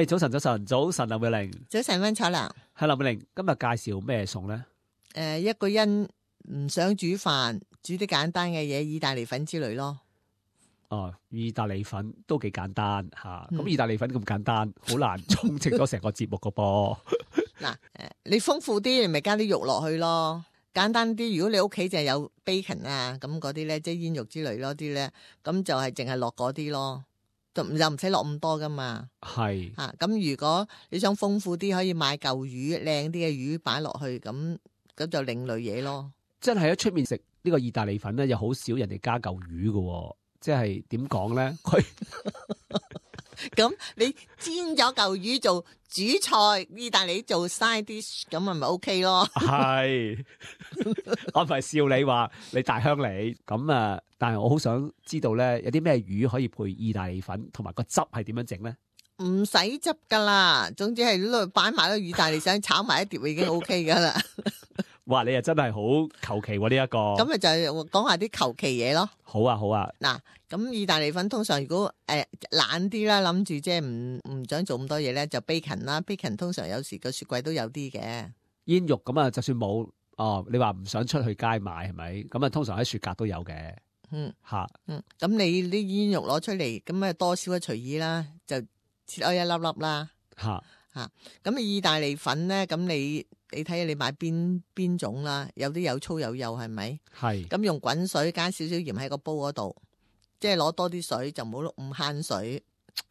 早晨，林美玲。早晨，溫楚良。係林美玲，今日介紹咩餸咧？一個人唔想煮飯，煮啲簡單嘅嘢，意大利粉之類咯。哦，意大利粉都幾簡單吓，咁意大利粉咁簡單，好難充斥咗成個節目個噃。嗱，你豐富啲，你咪加啲肉落去咯。簡單啲，如果你屋企就係有 bacon 啊，咁嗰啲咧，即係煙肉之類咯啲咧，咁就係淨係落嗰啲咯。又唔使落咁多噶嘛，係吓咁。如果你想豐富啲，可以買嚿魚，靚啲嘅魚擺落去，咁就另類嘢咯。真係喺出面食呢個意大利粉咧，又好少人哋加嚿魚嘅，即係點講咧？佢咁你煎咗嚿魚做主菜，意大利做 side dish， 咁咪 OK 咯。係我唔係笑你話你大鄉里咁啊，但係我好想知道咧，有啲咩魚可以配意大利粉，同埋個汁係點樣整咧？唔使汁噶啦，總之係攞擺埋啲意大利粉炒埋一碟已經 OK 噶啦。哇，你又真係好求其喎呢一個。咁咪就係講下啲求其嘢咯。好啊，好啊。嗱，咁意大利粉通常如果懶啲啦，諗住即係唔想做咁多嘢咧，就 bacon 啦。bacon 通常有時個雪櫃都有啲嘅。煙肉咁啊，就算冇你話唔想出去街買係咪？咁啊，通常喺雪格都有嘅。咁你啲煙肉攞出嚟，咁啊多少隨意啦，就切開一粒粒啦。咁意大利粉咧，咁你睇下你買邊種啦，有啲有粗有幼係咪？係。咁用滾水加少少鹽喺個煲嗰度，即係攞多啲水，就唔好咁慳水，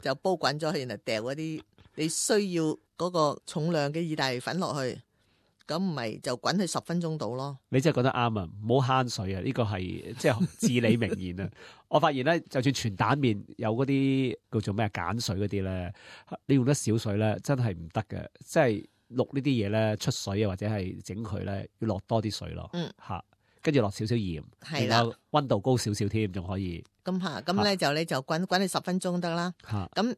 就煲滾咗去，然後掉嗰啲你需要嗰個重量嘅意大利粉落去，咁唔係就滾去10分鐘到咯。你真係講得啱啊！唔好慳水啊！呢個係即係至理名言啊！我發現咧，就算全蛋麵有嗰啲叫做咩鹼水嗰啲咧，你用得少水咧，真係唔得嘅。即係淥呢啲嘢咧，出水啊，或者係整佢咧，要落多啲水咯。跟住落少少鹽，然後溫度高少少添，仲可以。咁咧你就滾去10分鐘得啦。咁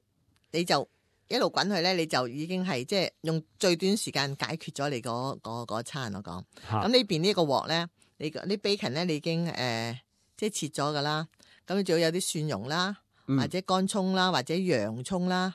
你就一路滾去咧，你就已經係即係用最短時間解決咗你嗰餐我講。咁呢邊呢個鑊咧，你啲 bacon 咧，你已經即係切咗噶啦。咁你仲要有啲蒜蓉啦，或者乾葱啦，或者洋葱啦。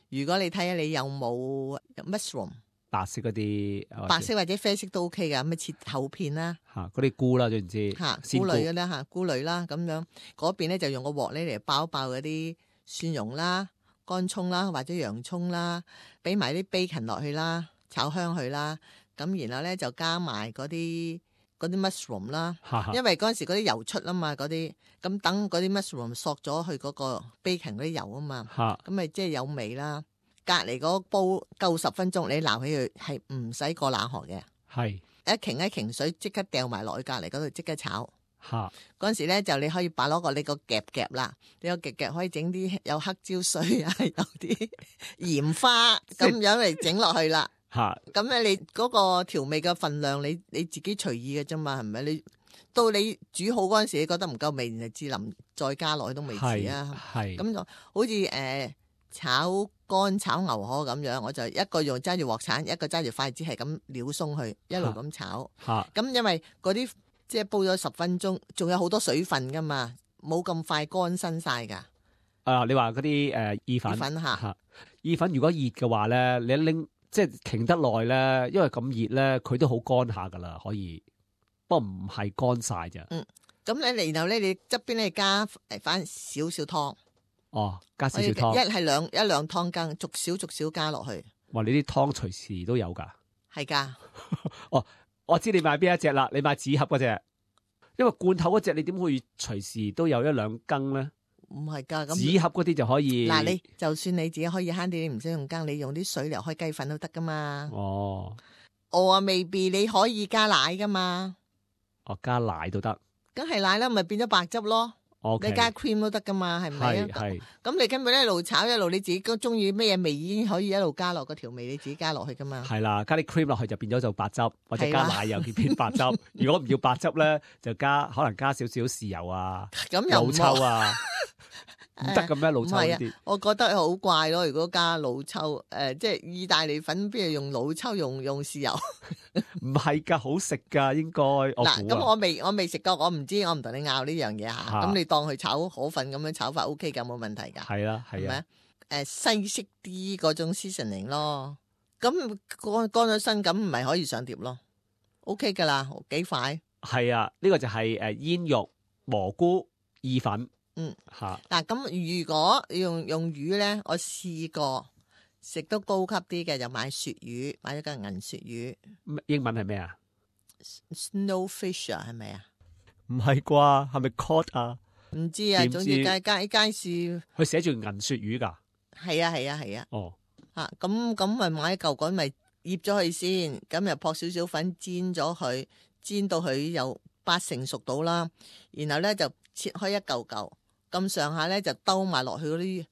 如果你睇下你有冇 mushroom 白色嗰啲，白色或者啡色都 OK 噶，咁咪切厚片啦。嗰啲菇啦，總言之，菇類嘅啦菇類啦，咁樣嗰邊咧就用個鑊咧嚟爆一爆嗰啲蒜蓉啦、乾葱啦或者洋葱啦，俾埋啲 bacon 落去啦，炒香佢啦。咁然後咧就加埋嗰啲 mushroom 啦，因為嗰陣時嗰啲油出啊嘛，嗰啲咁等嗰啲 mushroom 索咗去嗰個 bacon 嗰啲油啊嘛，咁咪即係有味啦。隔離嗰煲夠10分鐘，你撈起佢係唔使過冷河嘅，係一擎水即刻掉埋落去隔離嗰度即刻炒。嗰陣時咧就你可以擺攞個你個夾啦，你個夾可以整啲有黑椒水啊，有啲鹽花咁樣嚟整落去啦。咁咧你嗰個調味嘅份量你自己隨意嘅啫嘛，係咪？你到你煮好嗰陣時，你覺得唔夠味，然後至淋再加落去都未遲啊。咁就好似炒乾炒牛河咁樣，我就一個用揸住鑊鏟，一個揸住筷子，係咁撩鬆佢，一路咁炒。咁因為嗰啲即係煲咗10分鐘，仲有好多水分噶嘛，冇咁快乾身晒噶。你話嗰啲意粉意粉如果熱嘅話咧，你一拎即係停得耐咧，因為咁熱咧，佢都好乾下噶啦，可以，不過唔係乾晒咋。咁咧，然後咧，你側邊咧加翻少少湯。加少少湯，一兩湯羹，逐少加落去。哇！你啲湯隨時都有噶，係噶。我知你買邊一隻啦，你買紙盒嗰隻，因為罐頭嗰隻你點會隨時都有一兩羹咧？唔係噶，咁紙盒嗰啲就可以。嗱，你就算你自己可以慳啲，你唔使用羹，你用啲水嚟開雞粉都得噶嘛。未必你可以加奶噶嘛。加奶都得，梗係奶啦，咪變咗白汁咯。你加 cream 都得噶嘛，係咪啊？咁你根本一路炒一路，你自己中意咩嘢味已經可以一路加落個調味，你自己加落去噶嘛。係啦，加啲 cream 落去就變咗做白汁，或者加奶又變白汁。如果唔要白汁咧，就可能加少少豉油啊、老抽啊，唔得咁咩？老抽呢啲，我覺得好怪咯。如果加老抽，即係意大利粉邊度用老抽，用豉油？唔係噶，好食噶，應該。嗱，咁我未食過，我唔知，我唔同你拗呢樣嘢吓。咁你當佢炒河粉咁樣炒法 OK 噶，冇問題噶。係啦，係啊。西式啲嗰種 seasoning 咯。咁乾咗身咁，唔係可以上碟咯。OK 噶啦，幾快。係啊，呢個就係煙肉、蘑菇、意粉。嚇。嗱，咁如果用魚咧，我試過食到高級啲嘅，就買鱈魚，買咗個銀鱈魚。英文係咩啊 ？Snowfish 啊，係咪啊？唔係啩？係咪 cod 啊？唔知啊，總之街市佢寫住銀鱈魚㗎。係啊。哦。咁咪買一嚿咪醃咗佢先，咁又撲少少粉煎咗佢，煎到佢有80%熟到啦。然後咧就切開一嚿嚿，咁上下咧就兜埋落去嗰啲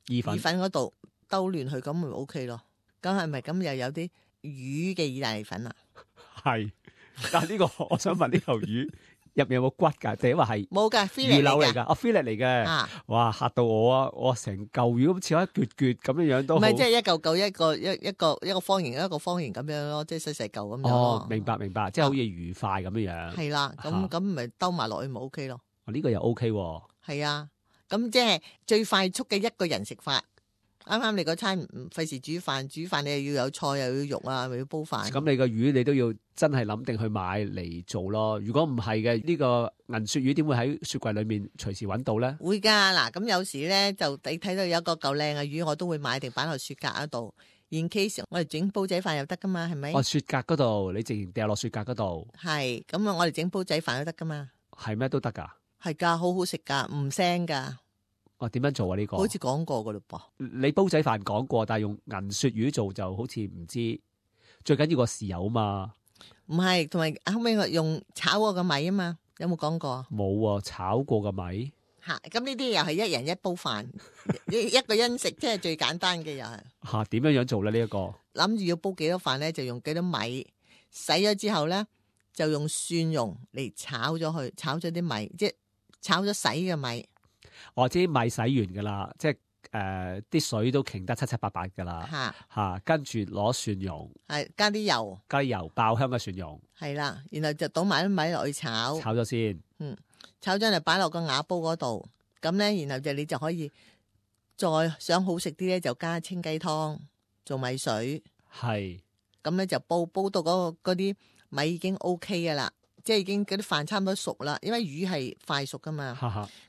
意粉嗰度，兜亂佢，咁咪 OK 咯。咁係咪咁又有啲魚嘅意大利粉啊？係，但係呢個我想問呢嚿魚入面有冇骨㗎？定係話係冇㗎，魚柳嚟㗎？fillet 嚟嘅。哇！嚇到我啊！我成嚿魚咁切開一橛橛咁樣樣都唔係，即係一嚿嚿一個方形一個方形咁樣咯，即係細細嚿咁樣。哦，明白，即係好似魚塊咁樣樣。係啦，咁咪兜埋落去咪 OK 咯。呢個又 OK 喎。係啊，咁即係最快速嘅一個人食法。啱啱你嗰餐唔費事煮飯你又要有菜又要肉啊，又要煲飯。咁你個魚你都要真係諗定去買嚟做咯。如果唔係嘅，呢個銀鱈魚點會喺雪櫃裏面隨時揾到咧？會㗎，嗱，咁有時咧就你睇到有個夠靚嘅魚，我都會買定擺落雪格嗰度。In case 我哋整煲仔飯又得㗎嘛，係咪？雪格嗰度你直接掉落雪格嗰度。係，咁我哋整煲仔飯都得㗎嘛。係咩都得㗎？係㗎，好好食㗎，唔腥㗎。點樣做啊？呢個好似講過噶嘞噃。你煲仔飯講過，但係用銀鱈魚做就好似唔知。最緊要個豉油啊嘛。唔係，同埋後尾我用炒過嘅米啊嘛，有冇講過？冇啊，炒過嘅米。咁呢啲又係一人一煲飯，一個人食，即係最簡單嘅又係。點樣做咧？呢一個諗住要煲幾多飯咧，就用幾多米，洗咗之後咧，就用蒜蓉嚟炒咗佢，炒咗啲米，即係炒咗洗嘅米。我知米洗完噶啦，即係啲水都擎得七七八八噶啦，跟住攞蒜蓉，加啲油，爆香嘅蒜蓉，係啦，然後就倒埋啲米落去炒咗先，炒咗就擺落個瓦煲嗰度，咁咧，然後你就可以再想好食啲咧，就加清雞湯做米水，咁咧就煲到嗰啲米已經 OK 噶啦。即係已經嗰啲飯差唔多熟啦，因為魚係快熟噶嘛。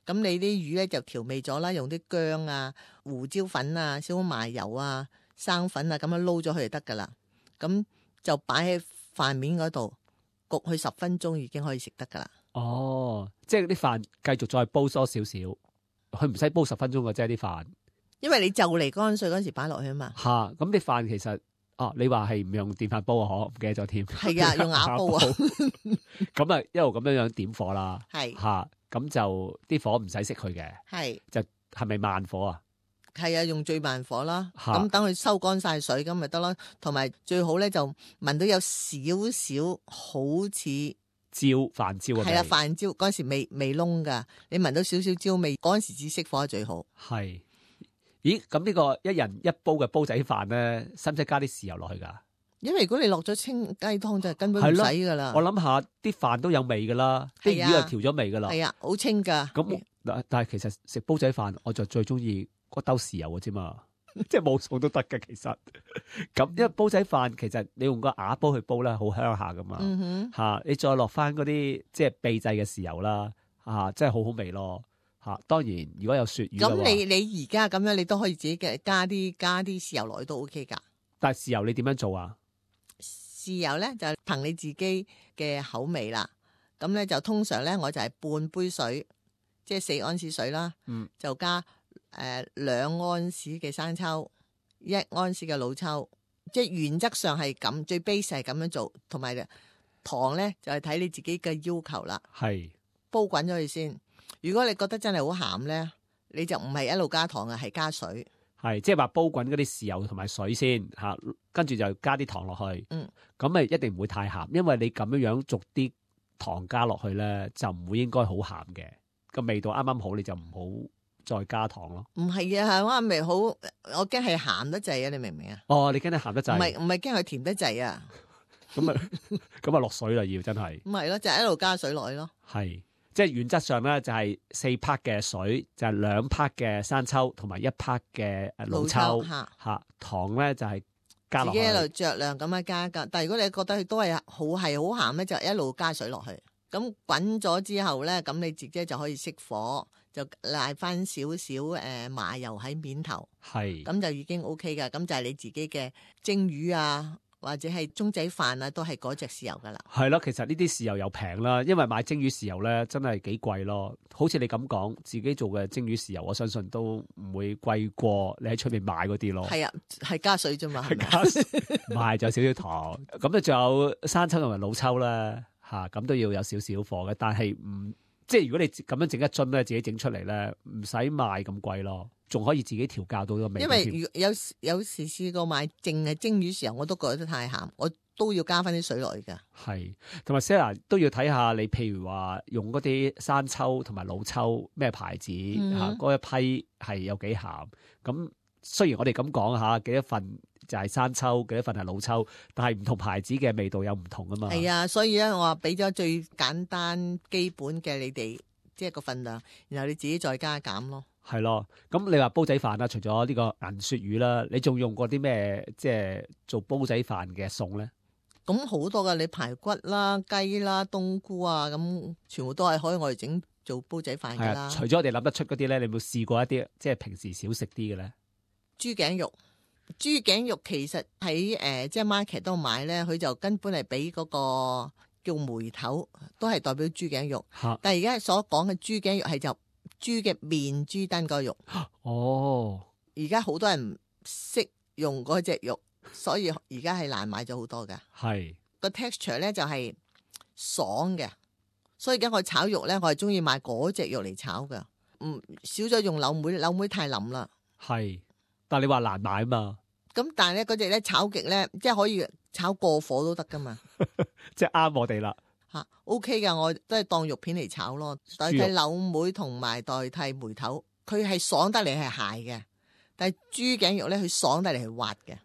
咁你啲魚咧就調味咗啦，用啲薑啊、胡椒粉啊、少少麻油啊、生粉啊咁樣撈咗佢就得噶啦。咁就擺喺飯面嗰度焗佢10分鐘，已經可以食得噶啦。哦，即係啲飯繼續再煲多少少，佢唔使煲10分鐘嘅啫啲飯。因為你就嚟乾水嗰時擺落去啊嘛。咁啲飯其實。你話係唔用電飯煲啊？唔記得咗添。係啊，用瓦煲啊。咁啊，一路咁樣點火啦。係咁就啲火唔使熄佢嘅。就係咪慢火啊？係啊，用最慢火啦。咁等佢收乾晒水咁咪得咯。同埋最好咧就聞到有少少好似飯焦啊。係啦，飯焦嗰時未燶噶，你聞到少少焦味，嗰時至熄火係最好。係。咦，咁呢個一人一煲嘅煲仔飯咧，使唔使加啲豉油落去噶？因為如果你落咗清雞湯就根本唔使噶啦。我諗下啲飯都有味噶啦，啲魚又調咗味噶啦。係啊，好清噶。咁但係其實食煲仔飯，我就最中意嗰兜豉油嘅啫嘛，即係冇餸都得嘅其實。咁因為煲仔飯其實你用個瓦煲去煲咧，好香下噶嘛。你再落翻嗰啲即係秘製嘅豉油啦，真係好好味咯。當然，如果有鱈魚嘅話，咁你而家咁樣，你都可以自己加啲豉油落去都 OK 噶。但係豉油你點樣做啊？豉油咧就憑你自己嘅口味啦。咁咧就通常咧我就係半杯水，即係4安士水啦。就加2安士嘅生抽，1安士嘅老抽。即係原則上係咁，最 base 係咁樣做。同埋糖咧就係睇你自己嘅要求啦。係煲滾咗佢先。如果你覺得真係好鹹咧，你就唔係一路加糖啊，係加水。係即係話煲滾嗰啲豉油同埋水先吓，跟住就加啲糖落去。咁咪一定唔會太鹹，因為你咁樣樣逐啲糖加落去咧，就唔會應該好鹹嘅，個味道啱啱好，你就唔好再加糖咯。唔係啊，我咪好，我驚係鹹得滯啊！你明唔明啊？哦，你驚你鹹得滯？唔係驚佢甜得滯啊！咁啊落水啦，要真係。咁係咯，就係一路加水落去咯。係。即係原則上咧就係4 part 嘅水，就係2 part 嘅生抽同埋1 part 嘅老抽嚇，糖咧就係加落去。自己一路酌量咁樣加㗎。但係如果你覺得佢都係好鹹咧，就一路加水落去。咁滾咗之後咧，咁你自己就可以熄火，就賴翻少少麻油喺面頭，係咁就已經 OK 㗎。咁就係你自己嘅蒸魚啊，或者係中仔飯啊，都係嗰隻豉油㗎啦。係咯，其實呢啲豉油又平啦，因為買蒸魚豉油咧真係幾貴咯。好似你咁講，自己做嘅蒸魚豉油，我相信都唔會貴過你喺出面買嗰啲咯。係啊，係加水啫嘛，係咪啊？加水唔係就少少糖，咁咧仲有生抽同埋老抽啦。咁都要有少少貨嘅，但係即係如果你咁樣整一樽咧，自己整出嚟咧，唔使賣咁貴咯，仲可以自己調教到個味。因為有時試過買淨係蒸魚豉油，我都覺得太鹹，我都要加翻啲水落去㗎。係，同埋 Sarah 都要睇下你，譬如話用嗰啲生抽同埋老抽咩牌子嗰一批係有幾鹹。咁雖然我哋咁講下幾多份就係生抽，幾多份係老抽，但係唔同牌子嘅味道有唔同啊嘛。係啊，所以咧我話俾咗最簡單基本嘅你哋即係個份量，然後你自己再加減咯。係咯，咁你話煲仔飯啦，除咗呢個銀鱈魚啦，你仲用過啲咩即係做煲仔飯嘅餸咧？咁好多噶，你排骨啦、雞啦、冬菇啊，咁全部都係可以我哋整做煲仔飯噶啦。除咗我哋諗得出嗰啲咧，你有冇試過一啲即係平時少食啲嘅咧？豬頸肉，豬頸肉其實喺即係 market 度買咧，佢就根本係俾嗰個叫梅頭，都係代表豬頸肉。但係而家所講嘅豬頸肉係就豬嘅面豬燈個肉。哦，而家好多人唔識用嗰隻肉，所以而家係難買咗好多㗎。係個 texture 咧就係爽嘅，所以而家我炒肉咧，我係中意買嗰隻肉嚟炒㗎。少咗用柳梅，柳梅太腍啦。係。但係你話難買嘛？咁但係咧嗰隻咧炒極咧，即係可以炒過火都得噶嘛？即係啱我哋啦。OK 噶，我都係當肉片嚟炒咯，代替柳梅同埋代替梅頭，佢係爽得嚟係鞋嘅，但係豬頸肉咧佢爽得嚟係滑嘅。